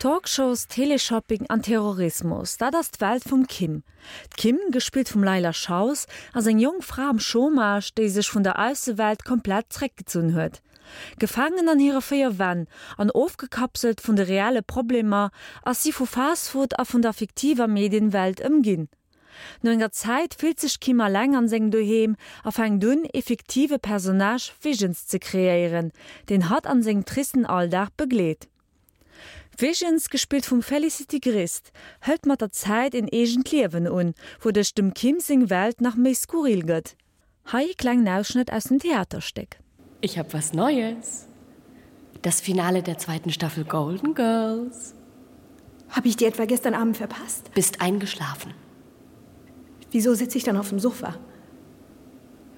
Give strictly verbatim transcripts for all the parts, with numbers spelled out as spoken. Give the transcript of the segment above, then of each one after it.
Talkshows, Teleshopping an Terrorismus, dat ass d'Welt vum Kim. D'Kim, gespillt vum Leila Schaus, ass eng jonk Fra am Chômage, déi sech vun der Aussewelt komplett zréckgezunn huet. Gefaangen an hire véier Wänn an ofgekapselt vun de reelle Problemer, ass si vu Fastfood a vun der fiktiver Medienwelt ëmginn. No enger Zäit fillt sech d'Kim eleng an sengem Doheem a fänkt un, e fiktive Personnage Visions ze kreéieren, deen hatt an sengem tristen Alldag begleet. Visions, gespillt vum Felicity Grist, hëlt mat der Zäit en eegent Liewen un, wouduerch dem Kim seng Welt nach méi skurril gëtt. Hei e klengen Ausschnëtt aus dem Theaterstéck. Ich hab was Neues. Das Finale der zweiten Staffel Golden Girls. Hab ich die etwa gestern Abend verpasst? Bist eingeschlafen. Wieso sitze ich dann auf dem Sofa?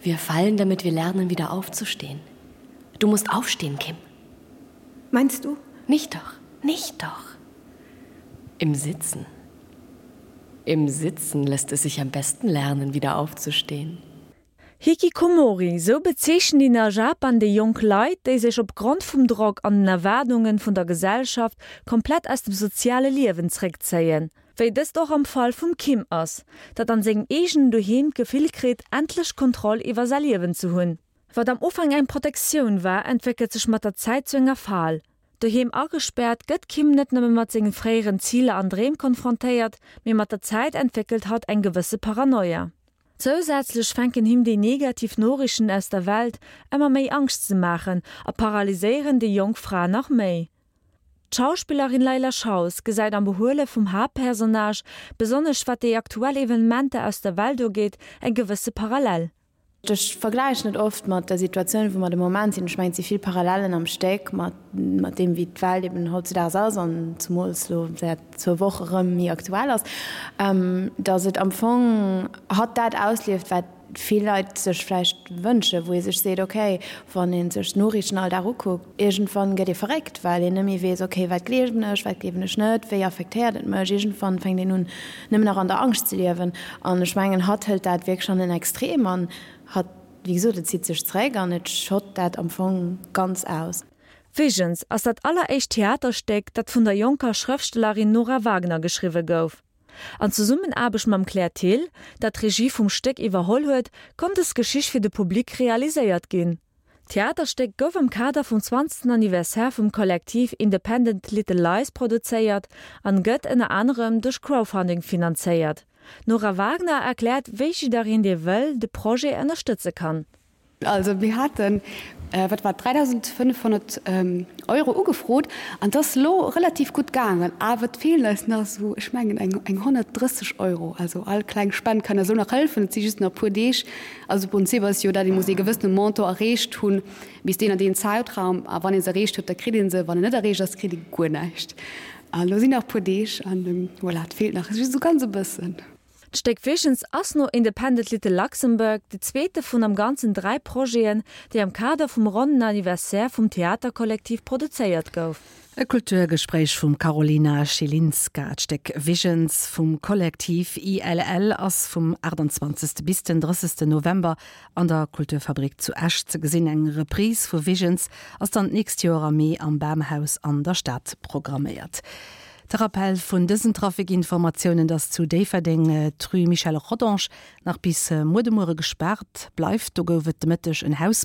Wir fallen, damit wir lernen, wieder aufzustehen. Du musst aufstehen, Kim. Meinst du? Nicht doch, nicht doch. Im Sitzen. Im Sitzen lässt es sich am besten lernen, wieder aufzustehen. Hikikomori, sou bezeechnen een a Japan déi jonk Leit, déi sech opgrond vum Drock an den Erwaardunge vun der Gesellschaft komplett aus dem soziale Liewen zréckzéien. Wéi dëst och am Fall vum Kim ass, dat an sengem eegenen Doheem d'Gefill kritt, endlech Kontroll iwwer säi Liewen ze hunn. Wat am Ufank eng Protektioun war, entwéckelt sech mat der Zäit zu enger Fal. Doheem agespaart, gëtt d'Kim net nëmme mat senge fréieren Ziler an Dreem konfrontéiert, mee mat der Zäit entwéckelt hatt eng gewësse Paranoia. Zousätzlech fänken him déi negativ Noriichten aus der Welt ëmmer méi Angscht ze maachen a paralyséieren déi jonk Fra nach méi. D'Schauspillerin Leila Schaus gesäit am Behuele vum Haaptpersonnage, besonnesch wat déi aktuell Evenementer aus der Welt ugeet, eng gewësse Parallel. Ech vergläichen et oft mat der Situatioun, wou mer de Moment sinn. Ech mengen, et si vill Parallellen am Stéck mat mat deem, wéi d'Welt eben hautzudaags ass an zumools elo säit zwou Woche rëm méi aktuell ass, datt et am Fong hatt dat auslieft, wat vill Leit sech vläicht wënschen, wou ee sech seet, okay, wann ee sech d'Noriichten all Dag ukuckt, iergendwann gëtt ee verréckt, well een net méi weess, okay, wat gleewen ech, wat gleewen ech net, wéi affektéiert et mech. Iergendwann fänkt een un, nëmmen nach an der Angscht ze liewen. An ech mengen, hatt hëlt dat wierklech an en Extrem an hatt, wéi gesot, et zitt sech zeréck an et schott dat am Fong ganz aus. Visions ass dat alleréischt Theaterstéck, dat vun der jonker Schrëftstellerin Nora Wagner geschriwwe gouf. An Zesummenaarbecht mam Claire Thill, dat d'Regie vum Stéck iwwerholl huet, konnt dës Geschicht fir de Public realiséiert ginn. D'Theaterstéck gouf am Kader vum zwanzegsten Anniversaire vum Kollektiv Independent Little Lies produzéiert an gëtt ënner anerem duerch Crowdfunding finanzéiert. D'Nora Wagner erkläert, wéi jiddereen, dee wëll, de Projet ënnerstëtze kann. Also mir haten, wat war et, dräidausendfënnefhonnert Euro ugefrot an et ass elo relativ gutt gaangen, awer et feelen eis nach esou, ech mengen eng eng honnertdrësseg Euro. Also all kleng Spend kann eis elo nach hëllefen. Et si just nach e puer Deeg. Also de Prinzip ass jo dat, ee muss ee gewëssene Montant erreecht hunn bis deen an deen Zäitraum a wann ee se erreecht huet, da kritt ee se, wann en net erreecht ass, kritt ee guer näischt. An elo sinn nach e puer Deeg an voilà, et feelt nach just esou ganz e bëssen. D'Stéck Visions ass no Independent Little Luxembourg de zweete vun am Ganzen dräi Projeten, déi am Kader vum ronnen Anniversaire vum Theaterkollektiv produzéiert gouf. E Kulturgespréich vum Karolina Schilinska. D'Stéck Visions vum Kollektiv I L L ass vum achtundzwanzegste bis den drëssegsten November an der Kulturfabrik zu Esch ze gesinn. Eng Reprise vu Visions ass dann d'nächst Joer am Mee am Bamhaus an der Stad programméiert. De Rappell vun dësen Trafic-Informatiounen, dass zu Déifferdeng d'Rue Michel Rodange nach bis muer de Muere gespaart bleift. Do gouf et de Mëtteg en Hausbrand.